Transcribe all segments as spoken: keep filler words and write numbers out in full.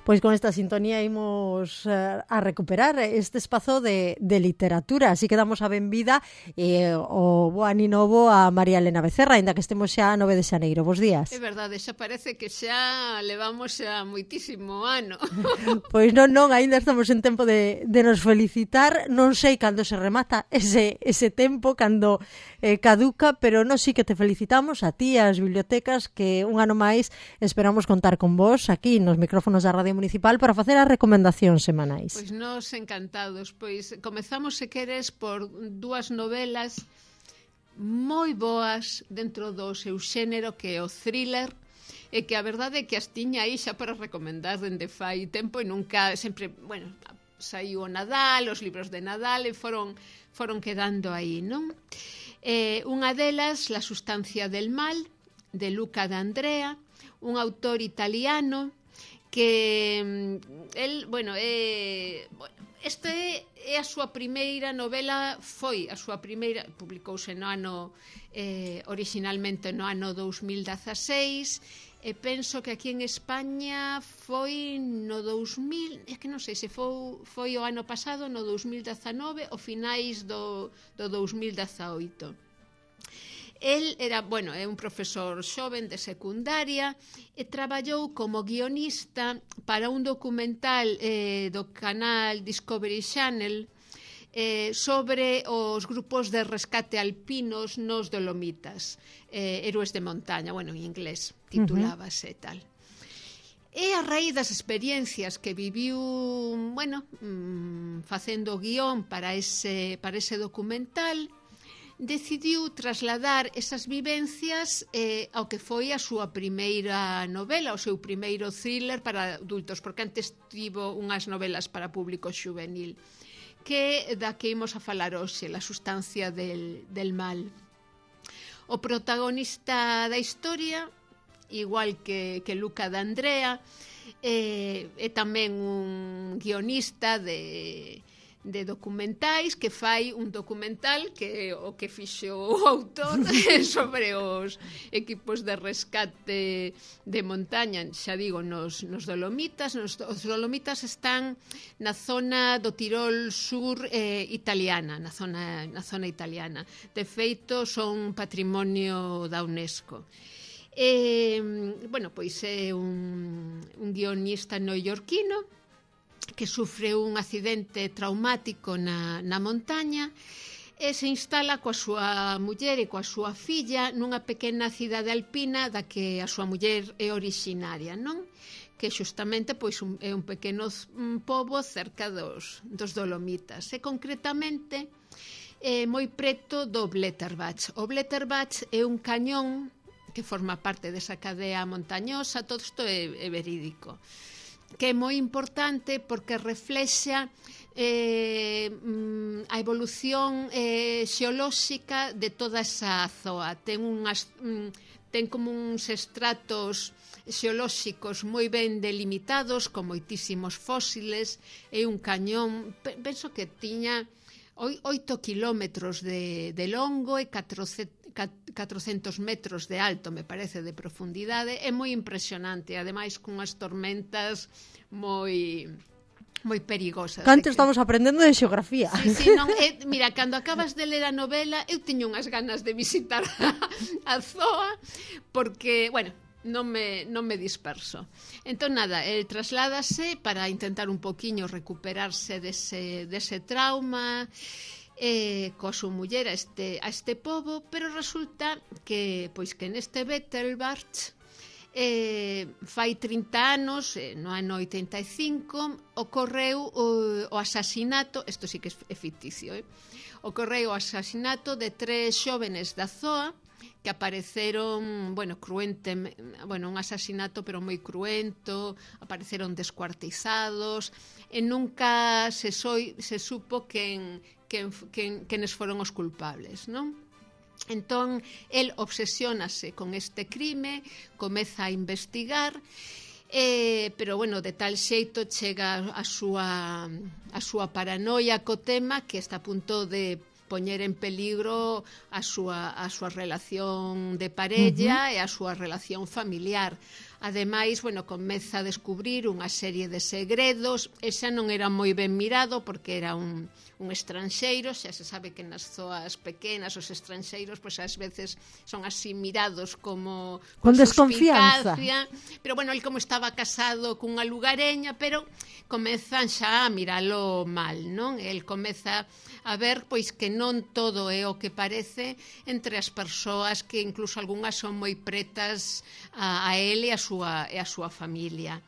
Pois con esta sintonía imos uh, a recuperar este espazo de, de literatura, así que damos a benvida eh, o bo ani novo a María Elena Becerra, ainda que estemos xa a nove de xaneiro. Bos días. É verdade, xa parece que xa levamos xa moitísimo ano. Pois non, non, ainda estamos en tempo de, de nos felicitar, non sei cando se remata ese, ese tempo, cando eh, caduca, pero non sí que te felicitamos a ti, as bibliotecas, que un ano máis esperamos contar con vos aquí nos micrófonos da Radio Municipal para facer as recomendacións semanais. Pois nos encantados, pois comezamos se queres por dúas novelas moi boas dentro do seu xénero, que é o thriller, e que a verdade é que as tiña aí xa para recomendar dende fai tempo e nunca, sempre, bueno, saiu o Nadal, os libros de Nadal e foron, foron quedando aí, non? Eh, unha delas, La sustancia del mal, de Luca D'Andrea, un autor italiano que el, bueno, é, este é a súa primeira novela, foi a súa primeira, publicouse no ano eh, originalmente no ano dous mil dezaseis, e penso que aquí en España foi no dous mil, é que non sei se foi, foi o ano pasado, no dous mil dezanove, ou finais do, do dous mil dezaoito. El era, bueno, é un profesor xoven de secundaria e traballou como guionista para un documental eh, do canal Discovery Channel eh, sobre os grupos de rescate alpinos nos Dolomitas, eh, héroes de montaña, bueno, en inglés titulábase uh -huh. tal. E a raíz das experiencias que viviu, bueno, mmm, facendo guión para ese, para ese documental, decidiu trasladar esas vivencias eh, ao que foi a súa primeira novela, o seu primeiro thriller para adultos, porque antes tivo unhas novelas para público xuvenil, que da que imos a falar hoxe, La sustancia del, del mal. O protagonista da historia, igual que, que Luca D'Andrea, eh, é tamén un guionista de... de documentais, que fai un documental que o que fixo o autor sobre os equipos de rescate de montaña, xa digo, nos, nos Dolomitas. Nos, os Dolomitas están na zona do Tirol sur eh, italiana, na zona, na zona italiana. De feito, son patrimonio da UNESCO. E, bueno, pois é un, un guionista neoyorquino que sufre un accidente traumático na, na montaña e se instala coa súa muller e coa súa filla nunha pequena cidade alpina da que a súa muller é originaria, non? Que xustamente pois un, é un pequeno un pobo cerca dos, dos Dolomitas, e concretamente é moi preto do Blätterbach. O Blätterbach é un cañón que forma parte desa cadea montañosa, todo isto é, é verídico, que é moi importante porque reflexa eh, a evolución eh, xeolóxica de toda esa zoa. Ten, unhas, ten como uns estratos xeolóxicos moi ben delimitados, con moitísimos fósiles, e un cañón, penso que tiña oito kilómetros de, de longo e catrocentos metros de alto, me parece, de profundidade. É moi impresionante, ademais cunhas tormentas moi moi perigosas. Canto estamos aprendendo de xeografía. Sí, sí, non, é, mira, cando acabas de ler a novela, eu teño unhas ganas de visitar a, a zoa, porque, bueno, non me, non me disperso. Entón, nada, el trasládase para intentar un poquinho recuperarse dese, dese trauma, eh, coa súa muller a este, a este pobo, pero resulta que, pois que neste Blätterbach eh, fai trinta anos, eh, no ano oitenta e cinco, ocorreu o, o asasinato, isto sí que é ficticio, eh? ocorreu o asasinato de tres xóvenes da zoa que apareceron, bueno, cruente, bueno, un asasinato pero moi cruento, apareceron descuartizados, e nunca se, soi, se supo quen, quen, quen, quenes foron os culpables, non? Entón, el obsesiónase con este crime, comeza a investigar, eh, pero, bueno, de tal xeito chega a súa, a súa paranoia co tema que está a punto de poñer en peligro a súa, a súa relación de parella uh-huh. e a súa relación familiar. Ademais, bueno, comeza a descubrir unha serie de segredos, e xa non era moi ben mirado porque era un, un estranxeiro, xa se sabe que nas zoas pequenas os estranxeiros pois ás veces son así mirados como con desconfianza. Pero bueno, el como estaba casado cunha lugareña, pero comezan xa a miralo mal, non? El comeza a ver pois que non todo é o que parece entre as persoas, que incluso algunhas son moi pretas a, a ele e a súa, e a súa familia.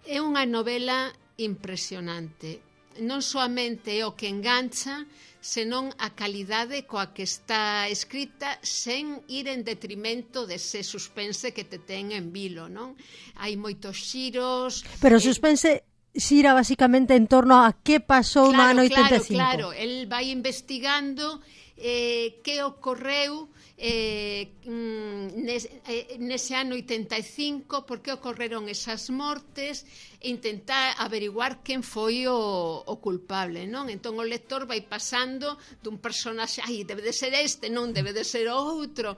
É unha novela impresionante. Non soamente é o que engancha, senón a calidade coa que está escrita, sen ir en detrimento dese suspense que te ten en vilo, non? Hai moitos xiros... Pero o suspense... Eh... xira basicamente en torno a que pasou claro, no ano oitenta e cinco. Claro, claro, el vai investigando eh, que ocorreu eh, nes, eh, nese ano oitenta e cinco, por que ocorreron esas mortes, e intentar averiguar quen foi o, o culpable, non? Entón o lector vai pasando dun personaxe, ai, debe de ser este, non debe de ser outro.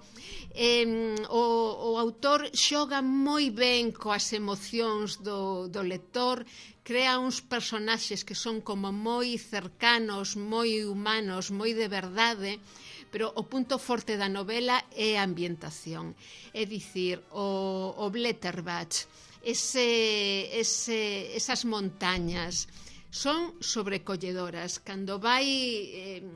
Eh, o, o autor xoga moi ben coas emocións do, do lector, crea uns personaxes que son como moi cercanos, moi humanos, moi de verdade, pero o punto forte da novela é a ambientación. É dicir, o, o Blätterbach, ese, ese, esas montañas, son sobrecolledoras. Cando vai... Eh,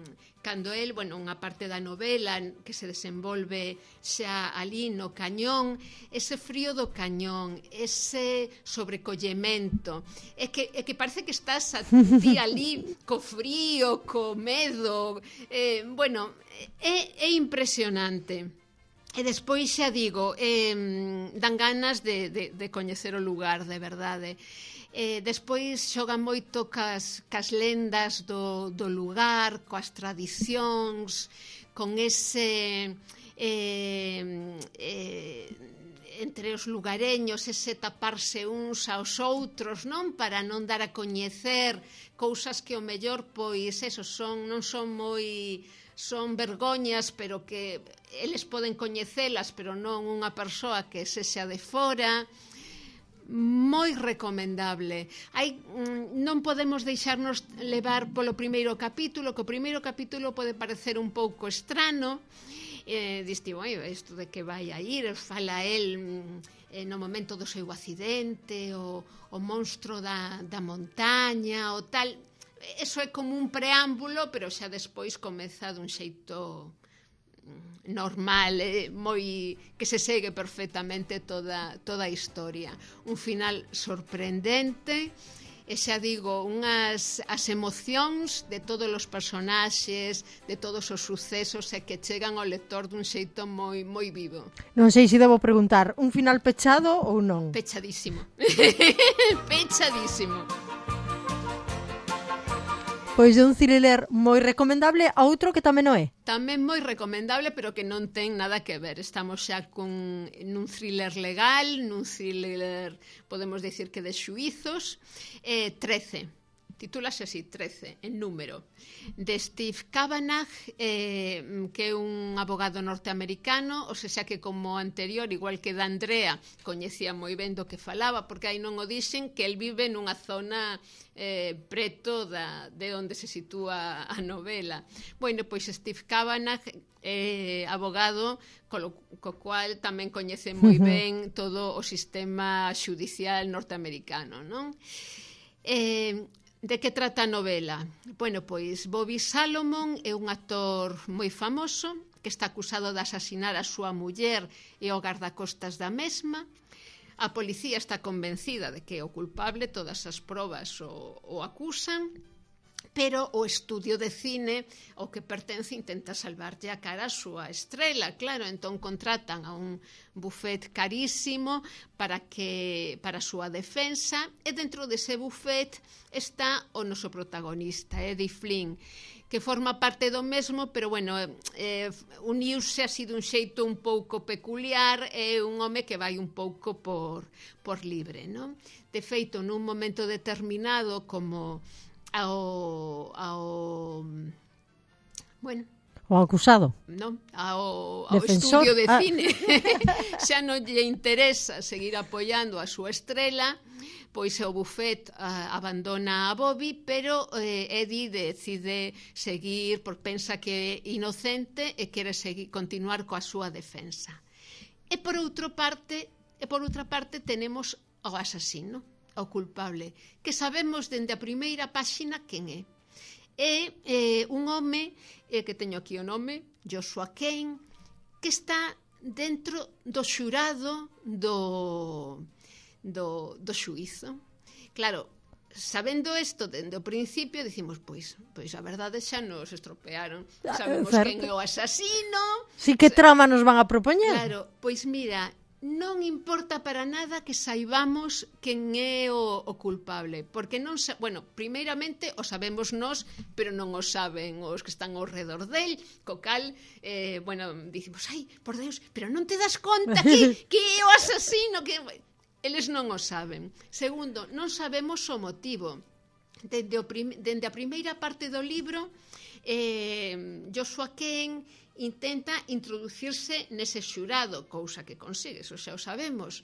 cando el, bueno, unha parte da novela que se desenvolve xa ali no cañón, ese frío do cañón, ese sobrecollemento, é que, é que parece que estás a ti ali co frío, co medo, eh, bueno, é, é impresionante. E despois xa digo, eh, dan ganas de, de, de coñecer o lugar, de verdade. Eh, despois xoga moito cas, cas lendas do, do lugar, coas tradicións, con ese eh, eh, entre os lugareños, ese taparse uns aos outros, non? Para non dar a coñecer cousas que o mellor, pois, eso, son, non son moi... son vergoñas, pero que eles poden coñecelas, pero non unha persoa que sexa de fora. Moi recomendable. Hai, non podemos deixarnos levar polo primeiro capítulo, que o primeiro capítulo pode parecer un pouco estrano, eh, diste, oi, isto de que vai a ir, fala el eh, no momento do seu accidente, o, o monstro da, da montaña, o tal. Eso é como un preámbulo, pero xa despois comeza dun xeito normal, eh, moi que se segue perfectamente toda, toda a historia. Un final sorprendente, e xa digo, unhas as emocións de todos os personaxes, de todos os sucesos, e que chegan ao lector dun xeito moi moi vivo. Non sei se debo preguntar, un final pechado ou non? Pechadísimo. Pechadísimo. Pois de un thriller moi recomendable a outro que tamén o é. Tamén moi recomendable, pero que non ten nada que ver. Estamos xa con nun thriller legal, nun thriller, podemos dicir que de xuizos, eh, trece. Titúlase así, trece, en número, de Steve Cavanagh, eh, que é un abogado norteamericano, ou seja que como anterior, igual que da Andrea, coñecía moi ben do que falaba, porque aí non o dixen, que el vive nunha zona eh, preto da, de onde se sitúa a novela. Bueno, pois Steve Cavanagh é eh, abogado, co, co cual tamén coñece moi ben todo o sistema xudicial norteamericano, non? Eh, De que trata a novela? Bueno, pois Bobby Salomon é un actor moi famoso que está acusado de asasinar a súa muller e o gardacostas da mesma. A policía está convencida de que é o culpable, todas as probas o, o acusan, pero o estudio de cine ao que pertence intenta salvarlle a cara a súa estrela, claro, entón contratan a un bufet carísimo para que para a súa defensa, e dentro dese bufet está o noso protagonista, Eddie Flynn, que forma parte do mesmo, pero bueno, eh, uniuse así dun xeito un pouco peculiar, é un home que vai un pouco por, por libre, non? De feito, nun momento determinado, como ao, ao bueno, O acusado. Non, ao, ao Defensor. estudio de Ah. cine xa non lle interesa seguir apoiando a súa estrela, pois o Buffet uh, abandona a Bobby, pero eh, Eddie decide seguir porque pensa que é inocente e quere seguir, continuar coa súa defensa. E por outra parte, e por outra parte tenemos ao asasino, ao culpable, que sabemos dende a primeira páxina quen é. É eh, un home, eh, que teño aquí o nome, Joshua Kane, que está dentro do xurado do, do, do xuízo. Claro, sabendo isto dende o principio, dicimos, pois, pois a verdade xa nos estropearon. Sabemos Certo. quen é o asasino. Si que trama nos van a propoñer? Claro, pois mira, non importa para nada que saibamos quen é o, o culpable, porque non sa... bueno, primeiramente o sabemos nós, pero non o saben os que están ao redor del, co cal, eh, bueno, dicimos, ai, por Deus, pero non te das conta que, que é o asasino, que eles non o saben. Segundo, non sabemos o motivo. Dende, o prim... dende a primeira parte do libro, eh, Joshua Kane intenta introducirse nese xurado, cousa que consigue, eso xa o sabemos.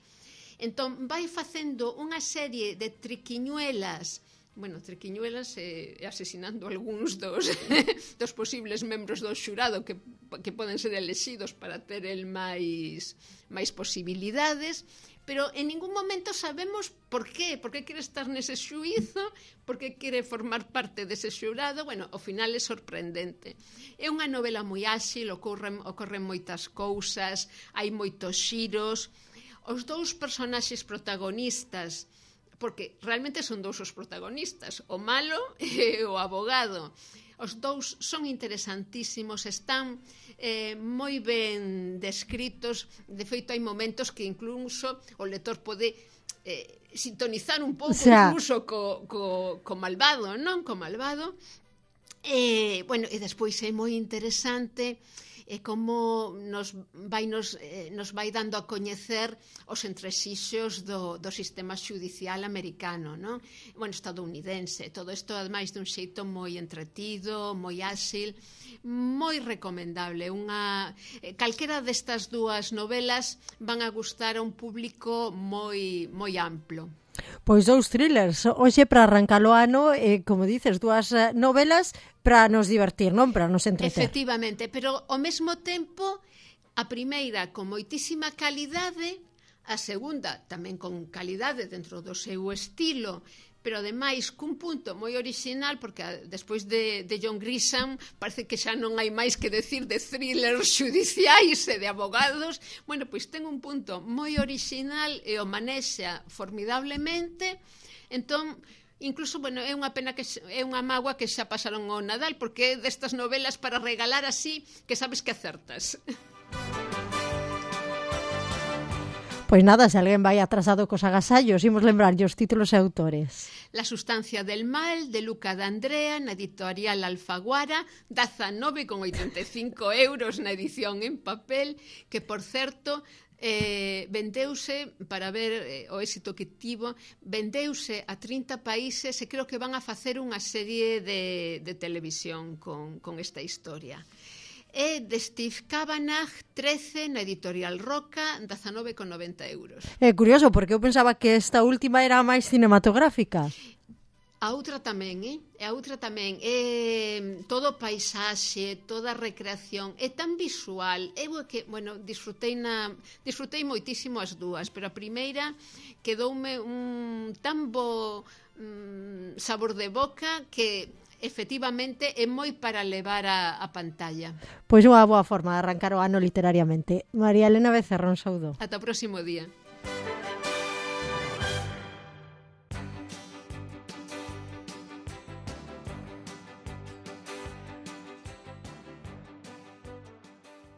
Entón, vai facendo unha serie de triquiñuelas, bueno, triquiñuelas e eh, asesinando algúns dos, dos posibles membros do xurado que, que poden ser elexidos para ter el máis, máis posibilidades, pero en ningún momento sabemos por qué, por que quere estar nese xuízo, por que quere formar parte dese xurado. Bueno, ao final é sorprendente. É unha novela moi áxil, ocorren, ocorren moitas cousas, hai moitos xiros. Os dous personaxes protagonistas, porque realmente son dous os protagonistas, o malo e o abogado. Os dous son interesantísimos, están eh, moi ben descritos. De feito, hai momentos que incluso o lector pode eh, sintonizar un pouco, o sea, incluso co, co, co malvado, non? Co malvado. Eh, bueno, e despois é moi interesante e como nos vai, nos, eh, nos vai dando a coñecer os entresixos do, do sistema xudicial americano, non? Bueno, estadounidense. Todo isto, ademais, dun xeito moi entretido, moi áxil, moi recomendable. Unha, eh, calquera destas dúas novelas van a gustar a un público moi, moi amplo. Pois dous thrillers, hoxe para arrancar o ano, eh, como dices, dúas novelas para nos divertir, non? Para nos entreter. Efectivamente, pero ao mesmo tempo, a primeira con moitísima calidade, a segunda tamén con calidade dentro do seu estilo, pero ademais cun punto moi orixinal, porque despois de, de John Grisham parece que xa non hai máis que decir de thrillers xudiciais e de abogados. Bueno, pois ten un punto moi orixinal e o manexa formidablemente. Entón, incluso, bueno, é unha pena que é unha mágoa que xa pasaron o Nadal, porque é destas novelas para regalar así que sabes que acertas. Pois nada, se alguén vai atrasado cos agasallos, imos lembrarlle os títulos e autores. La sustancia del mal, de Luca D'Andrea, na editorial Alfaguara, dezanove con oitenta e cinco euros na edición en papel, que, por certo, eh, vendeuse, para ver eh, o éxito que tivo, vendeuse a trinta países e creo que van a facer unha serie de, de televisión con, con esta historia. É de Steve Kavanagh, trece, na editorial Roca, dezanove con noventa euros. É curioso, porque eu pensaba que esta última era máis cinematográfica. A outra tamén, eh? A outra tamén. É todo paisaxe, toda recreación, é tan visual. Eu que, bueno, disfrutei na disfrutei moitísimo as dúas, pero a primeira quedoume un tan bo mm, sabor de boca que efectivamente é moi para levar a, a pantalla. Pois unha boa forma de arrancar o ano literariamente. María Elena Becerra, un saúdo. Ata o próximo día.